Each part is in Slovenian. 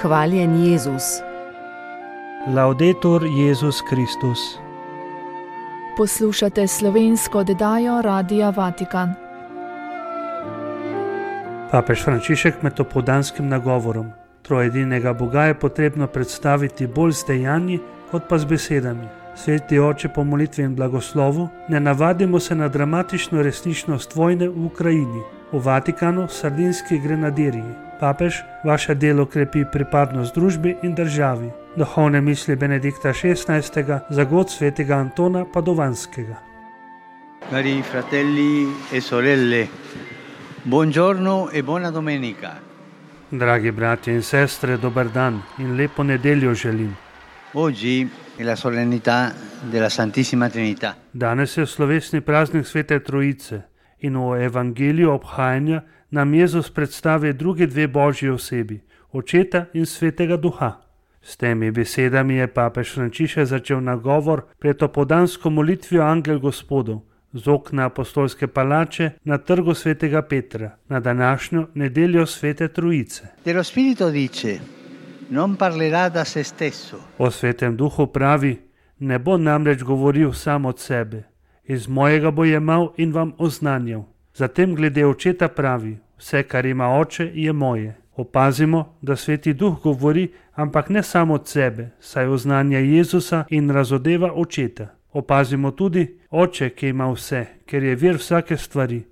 Hvaljen Jezus. Laudetur Jezus Kristus. Poslušate slovensko oddajo Radia Vatikan. Papež Frančišek med opoldanskim nagovorom: trojedinega Boga je potrebno predstaviti bolj z dejanji kot pa z besedami. Sveti oče, po molitvi in blagoslovu ne navadimo se na dramatično resničnost vojne v Ukrajini. V Vatikanu sardinski grenadirji. Papež, vaše delo krepi pripadnost družbi in državi. Duhovne misli Benedikta XVI. Za god svetega Antona Padovanskega. Cari fratelli e sorelle, buongiorno e buona domenica. Dragi bratje in sestre, dober dan in lepo nedeljo želim. Oggi è la solennità della Santissima Trinità. Danes je slovesni praznik Svete Trojice in v evangeliju obhajanja nam Jezus predstavi drugi dve božji osebi, Očeta in Svetega Duha. S temi besedami je papež Frančišek začel nagovor pred opoldansko molitvijo Angel Gospodov z okna apostolske palače na trgu Svetega Petra na današnjo nedeljo Svete Trojice. Dello Spirito dice: non parlerà da se stesso. O Svetem Duhu pravi: ne bo namreč govoril sam od sebe, iz mojega bo jemal in vam oznanjal. Zatem glede Očeta pravi: vse, kar ima Oče, je moje. Opazimo, da Sveti Duh govori, ampak ne samo od sebe, saj oznanja Jezusa in razodeva Očeta. Opazimo tudi Oče, ki ima vse, ker je vir vsake stvari,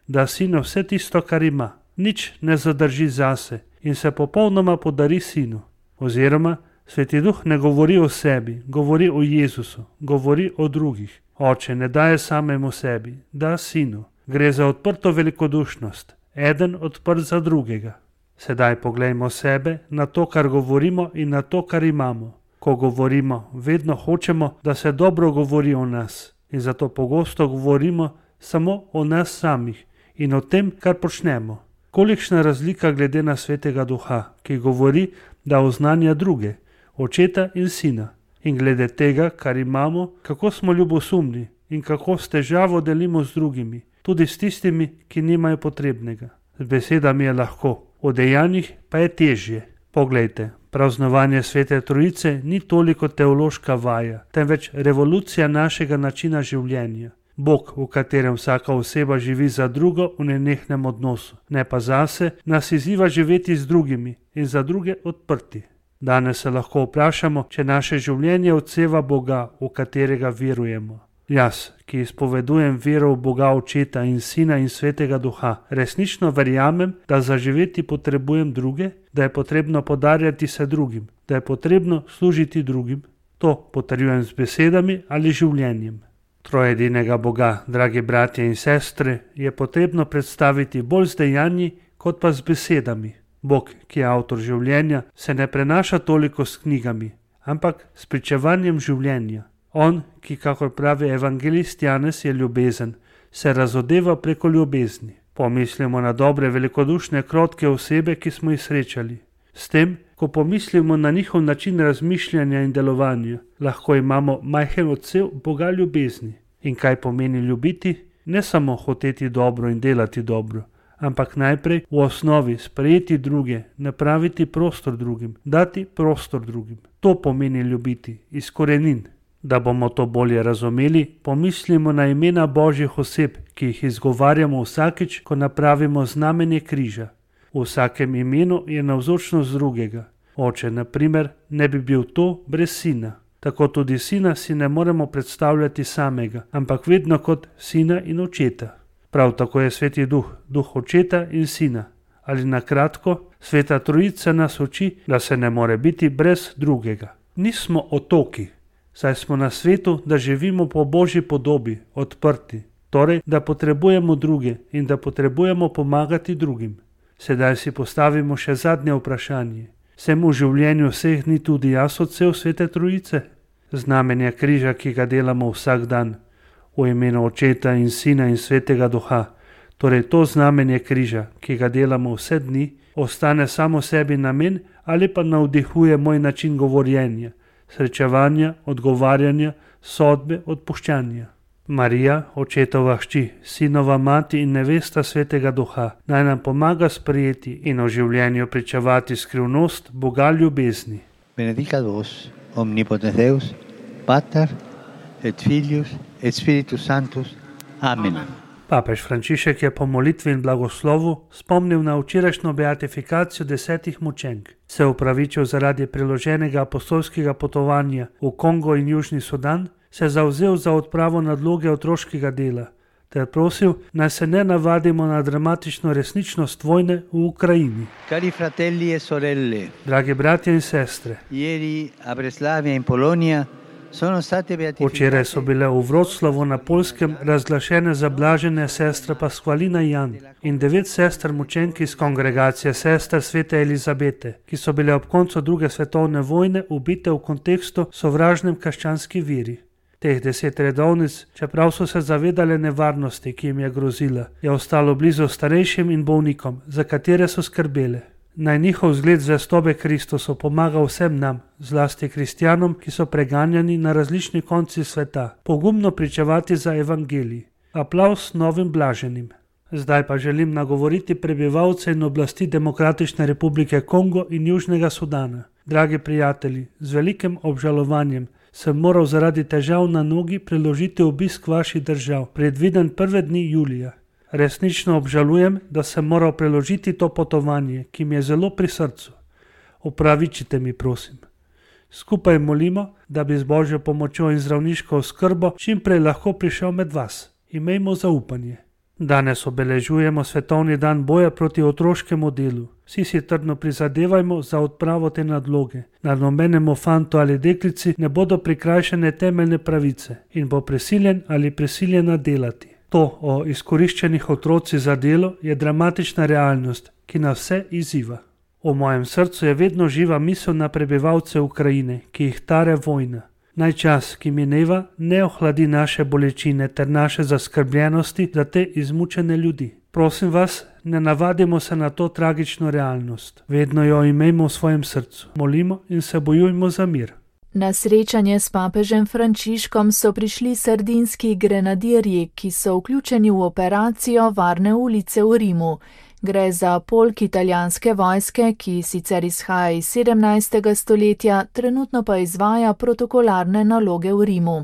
da Sinu vse tisto, kar ima, nič ne zadrži zase in se popolnoma podari Sinu. Oziroma, Sveti Duh ne govori o sebi, govori o Jezusu, govori o drugih. Oče ne daje samemu sebi, da Sinu. Gre za odprto velikodušnost, eden odprt za drugega. Sedaj poglejmo sebe, na to, kar govorimo in na to, kar imamo. Ko govorimo, vedno hočemo, da se dobro govori o nas in zato pogosto govorimo samo o nas samih in o tem, kar počnemo. Kolikšna razlika glede na Svetega Duha, ki govori, da oznanja druge, Očeta in Sina, in glede tega, kar imamo, kako smo ljubosumni in kako s težavo delimo z drugimi, tudi s tistimi, ki nimajo potrebnega. Z besedami je lahko, v dejanjih pa je težje. Poglejte, praznovanje Svete Trojice ni toliko teološka vaja, temveč revolucija našega načina življenja. Bog, v katerem vsaka oseba živi za drugo v nenehnem odnosu, ne pa zase, nas izziva živeti z drugimi in za druge odprti. Danes se lahko vprašamo, če naše življenje odseva Boga, v katerega verujemo. Jaz, ki izpovedujem vero v Boga Očeta in Sina in Svetega Duha, resnično verjamem, da za živeti potrebujem druge, da je potrebno podarjati se drugim, da je potrebno služiti drugim. To potrjujem z besedami ali življenjem. Trojedinega Boga, dragi bratje in sestre, je potrebno predstaviti bolj z dejanji kot pa z besedami. Bog, ki je avtor življenja, se ne prenaša toliko s knjigami, ampak s pričevanjem življenja. On, ki, kakor pravi evangelist Janez, je ljubezen, se razodeva preko ljubezni. Pomislimo na dobre, velikodušne, krotke osebe, ki smo jih srečali. S tem, ko pomislimo na njihov način razmišljanja in delovanja, lahko imamo majhen odsev Boga ljubezni. In kaj pomeni ljubiti? Ne samo hoteti dobro in delati dobro, ampak najprej v osnovi sprejeti druge, napraviti prostor drugim, dati prostor drugim. To pomeni ljubiti, iz korenin. Da bomo to bolje razumeli, pomislimo na imena božjih oseb, ki jih izgovarjamo vsakič, ko napravimo znamenje križa. V vsakem imenu je navzočnost drugega. Oče, na primer, ne bi bil to brez Sina. Tako tudi Sina si ne moremo predstavljati samega, ampak vedno kot Sina in Očeta. Prav tako je Sveti Duh, Duh Očeta in Sina. Ali na kratko, Sveta Trojica nas uči, da se ne more biti brez drugega. Nismo otoki, saj smo na svetu, da živimo po Božji podobi, odprti, torej, da potrebujemo druge in da potrebujemo pomagati drugim. Sedaj si postavimo še zadnje vprašanje. Sem v življenju vseh dni tudi jaz odsev Svete Trojice? Znamenje križa, ki ga delamo vsak dan, v imenu Očeta in Sina in Svetega Duha, torej to znamenje križa, ki ga delamo vse dni, ostane samo sebi namen ali pa navdihuje moj način govorjenja, srečevanja, odgovarjanja, sodbe, odpuščanja. Marija, očetova hči, sinova mati in nevesta Svetega Duha, naj nam pomaga sprejeti in v življenju pričevati skrivnost Boga ljubezni. Benedicat vos, omnipotens Deus, Pater et Filius et Spiritus Sanctus. Amen. Papež Frančišek je po molitvi in blagoslovu spomnil na včerajšnjo beatifikacijo 10 mučenk, se opravičil zaradi priloženega apostolskega potovanja v Kongo in Južni Sudan, se zavzel za odpravo nadloge otroškega dela ter prosil, naj se ne navadimo na dramatično resničnost vojne v Ukrajini. Cari fratelli e sorelle, Dragi bratje in sestre, ieri a Breslavia in Polonia sono state beatificate. včeraj so bile v Vroclavu na Poljskem razglašene zablažene sestre Pasqualina Jan in 9 sester mučenk iz kongregacije sester Svete Elizabete, ki so bile ob koncu druge svetovne vojne ubite v kontekstu sovražnem krščanski veri. Teh 10 redovnic, čeprav so se zavedale nevarnosti, ki jim je grozila, je ostalo blizu starejšim in bolnikom, za katere so skrbele. Naj njihov zgled zvestobe Kristusu pomaga vsem nam, zlasti kristjanom, ki so preganjani na različnih koncih sveta, pogumno pričevati za evangelij. Aplavz novim blaženim. Zdaj pa želim nagovoriti prebivalce in oblasti Demokratične republike Kongo in Južnega Sudana. Dragi prijatelji, z velikim obžalovanjem sem moral zaradi težav na nogi preložiti obisk vaših držav, predviden prve dni julija. Resnično obžalujem, da sem moral preložiti to potovanje, ki mi je zelo pri srcu. Opravičite mi, prosim. Skupaj molimo, da bi z Božjo pomočjo in zdravniško oskrbo čim prej lahko prišel med vas. Imejmo zaupanje. Danes obeležujemo svetovni dan boja proti otroškemu delu. Vsi si trdno prizadevajmo za odpravo te nadloge. Na nobenemu fantu ali deklici ne bodo prikrajšane temeljne pravice in bo prisiljen ali prisiljena delati. To o izkoriščenih otrocih za delo je dramatična realnost, ki nas vse izziva. V mojem srcu je vedno živa misel na prebivalce Ukrajine, ki jih tare vojna. Naj čas, ki mineva, ne ohladi naše bolečine ter naše zaskrbljenosti za te izmučene ljudi. Prosim vas, ne navadimo se na to tragično realnost. Vedno jo imejmo v svojem srcu. Molimo in se bojujmo za mir. Na srečanje s papežem Frančiškom so prišli sardinski grenadirji, ki so vključeni v operacijo Varne ulice v Rimu. Gre za polk italijanske vojske, ki sicer izhaja iz 17. stoletja, trenutno pa izvaja protokolarne naloge v Rimu.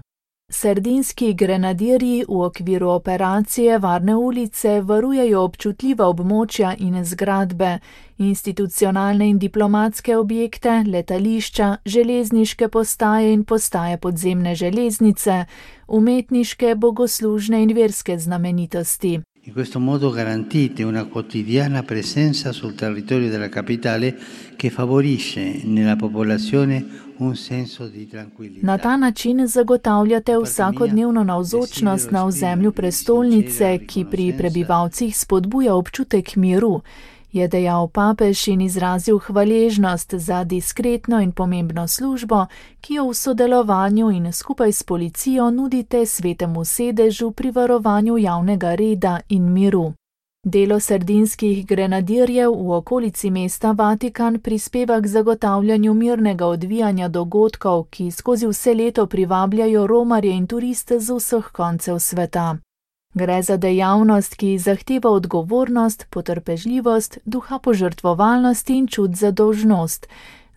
Sardinski grenadirji v okviru operacije Varne ulice varujejo občutljiva območja in zgradbe, institucionalne in diplomatske objekte, letališča, železniške postaje in postaje podzemne železnice, umetniške, bogoslužne in verske znamenitosti. In questo modo garantite una quotidiana presenza sul territorio della capitale che favorisce nella popolazione un senso di tranquillità. Na ta način zagotavljate vsakodnevno navzočnost na ozemlju prestolnice, ki pri prebivalcih spodbuja občutek miru, je dejal papež in izrazil hvaležnost za diskretno in pomembno službo, ki jo v sodelovanju in skupaj s policijo nudite Svetemu sedežu pri varovanju javnega reda in miru. Delo sardinskih grenadirjev v okolici mesta Vatikan prispeva k zagotavljanju mirnega odvijanja dogodkov, ki skozi vse leto privabljajo romarje in turiste z vseh koncev sveta. Gre za dejavnost, ki zahteva odgovornost, potrpežljivost, duha požrtvovalnosti in čut za dolžnost.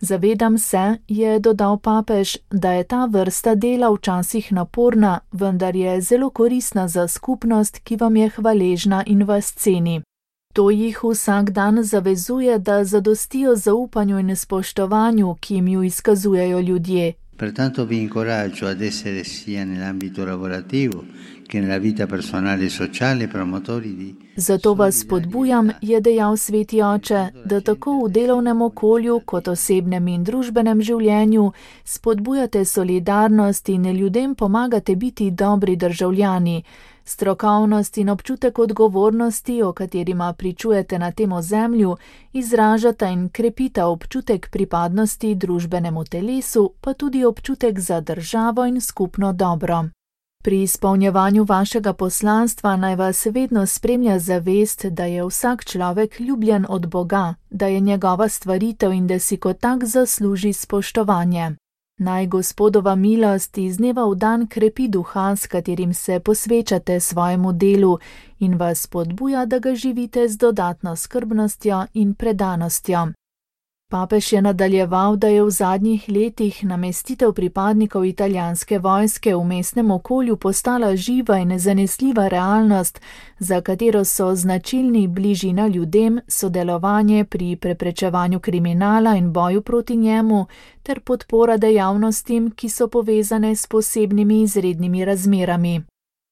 Zavedam se, je dodal papež, da je ta vrsta dela včasih naporna, vendar je zelo koristna za skupnost, ki vam je hvaležna in vas ceni. To jih vsak dan zavezuje, da zadostijo zaupanju in spoštovanju, ki jim ju izkazujejo ljudje. Pertanto vi incoraggio ad essere sia nell'ambito lavorativo che nella vita personale e sociale promotori di. Zato vas spodbujam, je dejal sveti oče, da tako v delovnem okolju kot osebnem in družbenem življenju spodbujate solidarnost in ljudem pomagate biti dobri državljani. Strokovnost in občutek odgovornosti, o katerima pričujete na tem ozemlju, izražata in krepita občutek pripadnosti družbenemu telesu, pa tudi občutek za državo in skupno dobro. Pri izpolnjevanju vašega poslanstva naj vas vedno spremlja zavest, da je vsak človek ljubljen od Boga, da je njegova stvaritev in da si kot tak zasluži spoštovanje. Naj Gospodova milost iz dneva v dan krepi duha, s katerim se posvečate svojemu delu in vas spodbuja, da ga živite z dodatno skrbnostjo in predanostjo. Papež je nadaljeval, da je v zadnjih letih namestitev pripadnikov italijanske vojske v mestnem okolju postala živa in nezanesljiva realnost, za katero so značilni bližina ljudem, sodelovanje pri preprečevanju kriminala in boju proti njemu ter podpora dejavnostim, ki so povezane s posebnimi izrednimi razmerami.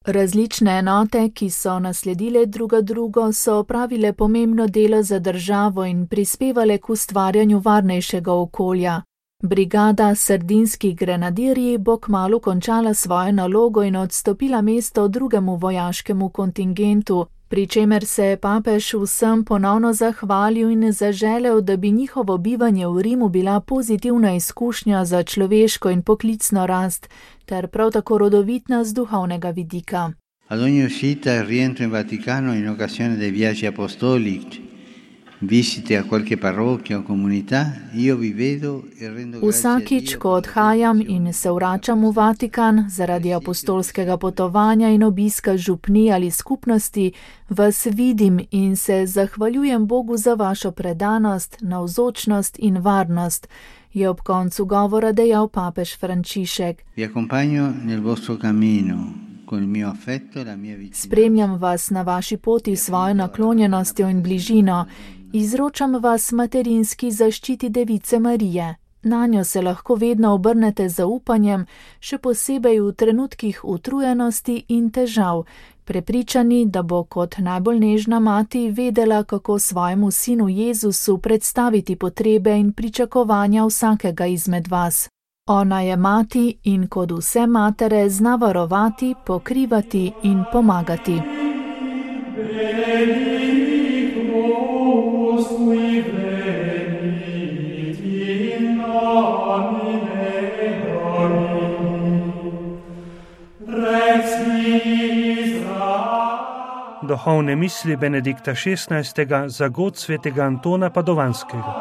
Različne enote, ki so nasledile druga drugo, so opravile pomembno delo za državo in prispevale k ustvarjanju varnejšega okolja. Brigada Sardinski grenadirji bo kmalu končala svojo nalogo in odstopila mesto drugemu vojaškemu kontingentu, pri čemer se je papež vsem ponovno zahvalil in zaželel, da bi njihovo bivanje v Rimu bila pozitivna izkušnja za človeško in poklicno rast, ter prav tako rodovitna z duhovnega vidika. Ad ogni uscita e rientro in Vaticano in occasione dei viaggi apostolici, visite a qualche parrocchia o comunità, io vi vedo e rendo grazie a Dio. Vsakič, ko odhajam in se vračam v Vatikan zaradi apostolskega potovanja in obiska župni ali skupnosti, vas vidim in se zahvaljujem Bogu za vašo predanost, navzočnost in varnost, je ob koncu govora dejal papež Frančišek. Vi accompagno nel vostro cammino. Spremljam vas na vaši poti s svojo naklonjenostjo in bližino. Izročam vas materinski zaščiti Device Marije. Nanjo se lahko vedno obrnete z zaupanjem, še posebej v trenutkih utrujenosti in težav, prepričani, da bo kot najbolj nežna mati vedela, kako svojemu sinu Jezusu predstaviti potrebe in pričakovanja vsakega izmed vas. Ona je mati in kot vse matere zna varovati, pokrivati in pomagati. Duhovne misli Benedikta XVI. Za god svetega Antona Padovanskega.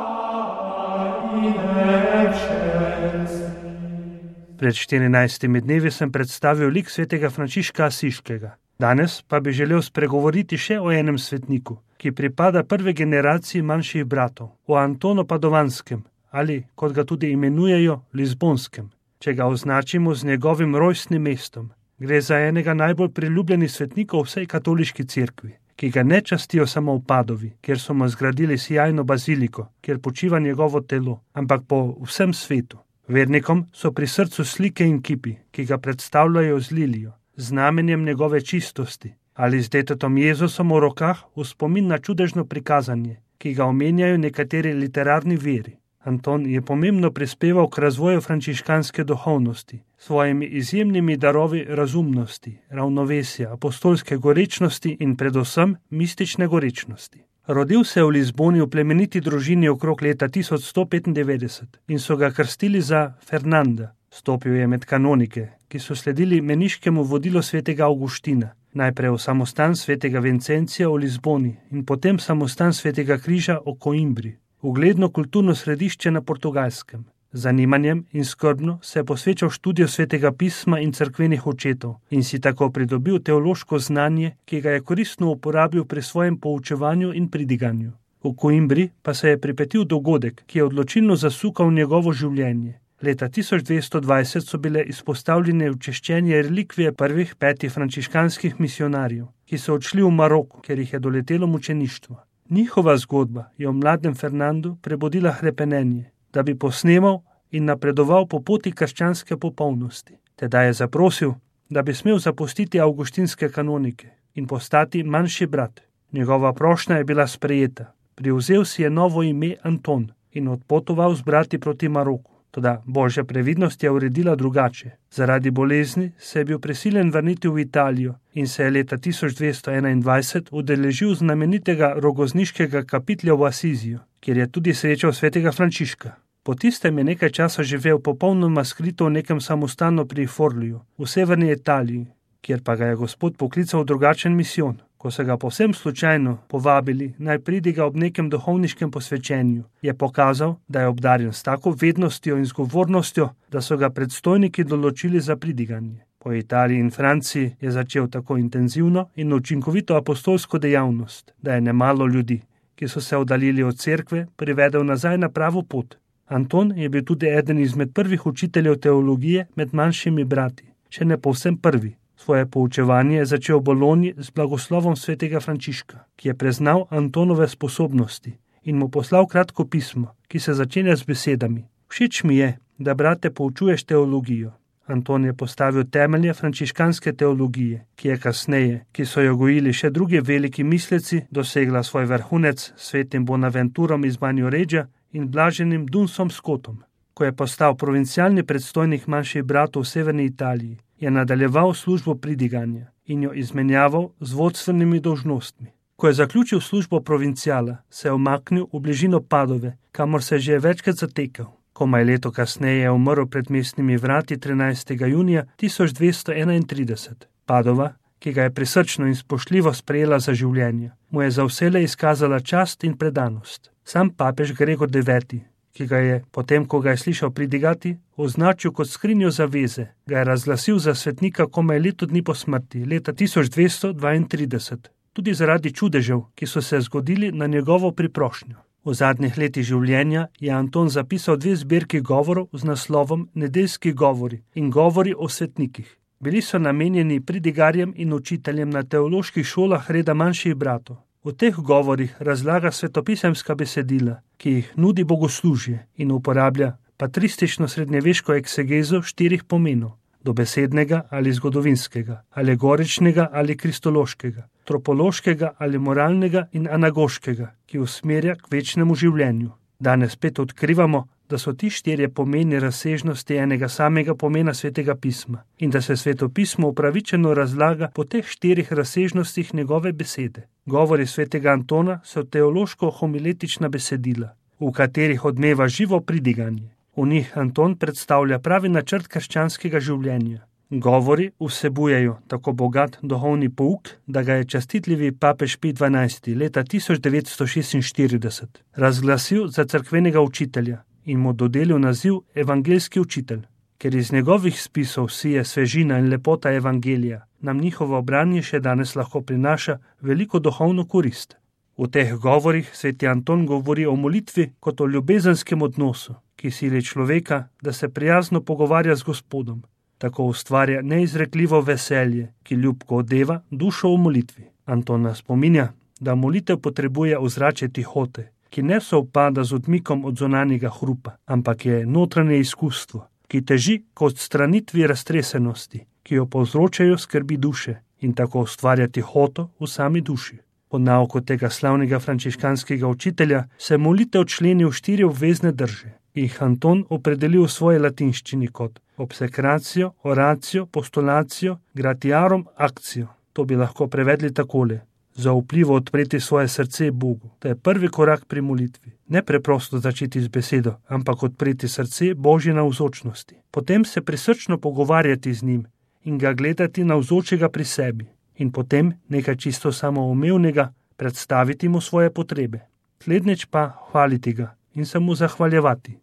Pred 14 dnevi sem predstavil lik svetega Frančiška Asiškega. Danes pa bi želel spregovoriti še o enem svetniku, ki pripada prve generaciji manjših bratov, o Antonu Padovanskem, ali, kot ga tudi imenujejo, Lizbonskem, če ga označimo z njegovim rojstnim mestom. Gre za enega najbolj priljubljenih svetnikov vsej katoliški cerkvi, ki ga ne častijo samo v Padovi, kjer so mu zgradili sijajno baziliko, kjer počiva njegovo telo, ampak po vsem svetu. Vernikom so pri srcu slike in kipi, ki ga predstavljajo z lilijo, znamenjem njegove čistosti, ali z detetom Jezusom v rokah v spomin na čudežno prikazanje, ki ga omenjajo nekateri literarni viri. Anton je pomembno prispeval k razvoju frančiškanske duhovnosti, svojimi izjemnimi darovi razumnosti, ravnovesja, apostolske gorečnosti in predvsem mistične gorečnosti. Rodil se je v Lizboni v plemeniti družini okrog leta 1195 in so ga krstili za Fernanda. Stopil je med kanonike, ki so sledili meniškemu vodilu svetega Avguština, najprej v samostan svetega Vincencija v Lizboni in potem samostan svetega Križa v Coimbri, ugledno kulturno središče na Portugalskem. Z zanimanjem in skrbno se je posvečal študiju svetega pisma in cerkvenih očetov in si tako pridobil teološko znanje, ki ga je koristno uporabil pri svojem poučevanju in pridiganju. V Coimbri pa se je pripetil dogodek, ki je odločilno zasukal njegovo življenje. Leta 1220 so bile izpostavljene včeščenje relikvije prvih 5 frančiškanskih misionarjev, ki so odšli v Maroko, ker jih je doletelo mučeništvo. Njihova zgodba je v mladem Fernandu prebudila hrepenenje, da bi posnemal in napredoval po poti krščanske popolnosti. Teda je zaprosil, da bi smel zapustiti avguštinske kanonike in postati manjši brat. Njegova prošnja je bila sprejeta. Privzel si je novo ime Anton in odpotoval z brati proti Maroku. Toda božja previdnost je uredila drugače. Zaradi bolezni se je bil prisiljen vrniti v Italijo in se je leta 1221 udeležil znamenitega rogozniškega kapitlja v Asiziju, kjer je tudi srečal svetega Frančiška. Po tistem je nekaj časa živel popolnoma skrito v nekem samostanu pri Forliju, v severni Italiji, kjer pa ga je Gospod poklical v drugačen misijon. Ko so ga povsem slučajno povabili, naj pridiga ob nekem duhovniškem posvečenju, je pokazal, da je obdarjen s tako vednostjo in zgovornostjo, da so ga predstojniki določili za pridiganje. Po Italiji in Franciji je začel tako intenzivno in učinkovito apostolsko dejavnost, da je nemalo ljudi, ki so se oddaljili od cerkve, privedel nazaj na pravo pot. Anton je bil tudi eden izmed prvih učiteljev teologije med manjšimi brati, še ne povsem prvi. Svoje poučevanje je začel v Bologni z blagoslovom svetega Frančiška, ki je preznal Antonove sposobnosti in mu poslal kratko pismo, ki se začenja z besedami: Všeč mi je, da brate poučuješ teologijo. Anton je postavil temelje frančiškanske teologije, ki je kasneje, ki so jo gojili še drugi veliki misleci, dosegla svoj vrhunec s svetim Bonaventurom iz Banjoreggia in blaženim Dunsom Scotom. Ko je postal provincialni predstojnik manjših bratov v severni Italiji, je nadaljeval službo pridiganja in jo izmenjaval z vodstvenimi dolžnostmi. Ko je zaključil službo provinciala, se je umaknil v bližino Padove, kamor se je že večkrat zatekal. Komaj leto kasneje je umrl pred mestnimi vrati 13. junija 1231. Padova, ki ga je prisrčno in spoštljivo sprejela za življenje, mu je za vselej izkazala čast in predanost. Sam papež Gregor IX, ki ga je, potem ko ga je slišal pridigati, označil kot skrinjo zaveze, ga je razglasil za svetnika komaj leto dni po smrti, leta 1232, tudi zaradi čudežev, ki so se zgodili na njegovo priprošnjo. V zadnjih letih življenja je Anton zapisal 2 zbirki govorov z naslovom Nedeljski govori in govori o svetnikih. Bili so namenjeni pridigarjem in učiteljem na teoloških šolah reda manjših bratov. V teh govorih razlaga svetopisemska besedila, ki jih nudi bogoslužje in uporablja patristično srednjeveško eksegezo 4 pomenov: dobesednega ali zgodovinskega, alegoričnega ali kristološkega, tropološkega ali moralnega in anagoškega, ki usmerja k večnemu življenju. Danes spet odkrivamo, da so ti 4 pomeni razsežnosti enega samega pomena svetega pisma in da se svetopismo upravičeno razlaga po teh 4 razsežnostih njegove besede. Govori svetega Antona so teološko-homiletična besedila, v katerih odmeva živo pridiganje. V njih Anton predstavlja pravi načrt krščanskega življenja. Govori vsebujejo tako bogat duhovni pouk, da ga je častitljivi papež Pij XII. Leta 1946 razglasil za cerkvenega učitelja in mu dodelil naziv evangeljski učitelj. Ker iz njegovih spisov sije svežina in lepota evangelija, nam njihovo branje še danes lahko prinaša veliko duhovno korist. V teh govorih sveti Anton govori o molitvi kot o ljubezenskem odnosu, ki sili človeka, da se prijazno pogovarja z Gospodom. Tako ustvarja neizrekljivo veselje, ki ljubko odeva dušo v molitvi. Anton nas spominja, da molitev potrebuje ozračje tihote, ki ne sovpada z odmikom od zunanjega hrupa, ampak je notranje izkustvo, ki teži k odstranitvi raztresenosti, ki jo povzročajo skrbi duše in tako ustvarja tihoto v sami duši. Po nauku tega slavnega frančiškanskega učitelja se molitev členi v 4 obvezne drže. Jih Anton opredelil v svoji latinščini kot obsekracijo, oracijo, postulacijo, gratiarum, akcijo. To bi lahko prevedli takole: zaupljivo odpreti svoje srce Bogu. To je prvi korak pri molitvi. Ne preprosto začeti z besedo, ampak odpreti srce Božji navzočnosti. Potem se prisrčno pogovarjati z njim in ga gledati navzočega pri sebi. In potem nekaj čisto samoumevnega predstaviti mu svoje potrebe. Slednjič pa hvaliti ga in se mu zahvaljevati.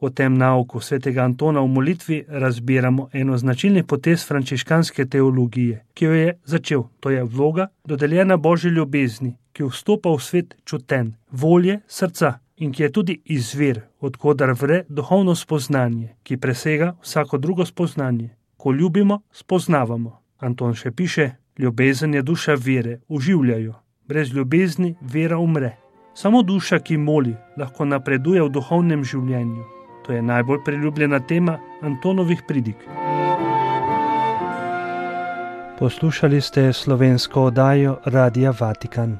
V tem nauku svetega Antona v molitvi razbiramo eno značilnih potez frančiškanske teologije, ki jo je začel, to je vloga dodeljena Božji ljubezni, ki vstopa v svet čuten, volje, srca in ki je tudi izvir, odkodar vre duhovno spoznanje, ki presega vsako drugo spoznanje. Ko ljubimo, spoznavamo. Anton še piše: ljubezen je duša vere, oživljajo. Brez ljubezni vera umre. Samo duša, ki moli, lahko napreduje v duhovnem življenju. To je najbolj priljubljena tema Antonovih pridig. Poslušali ste slovensko oddajo Radia Vatikan.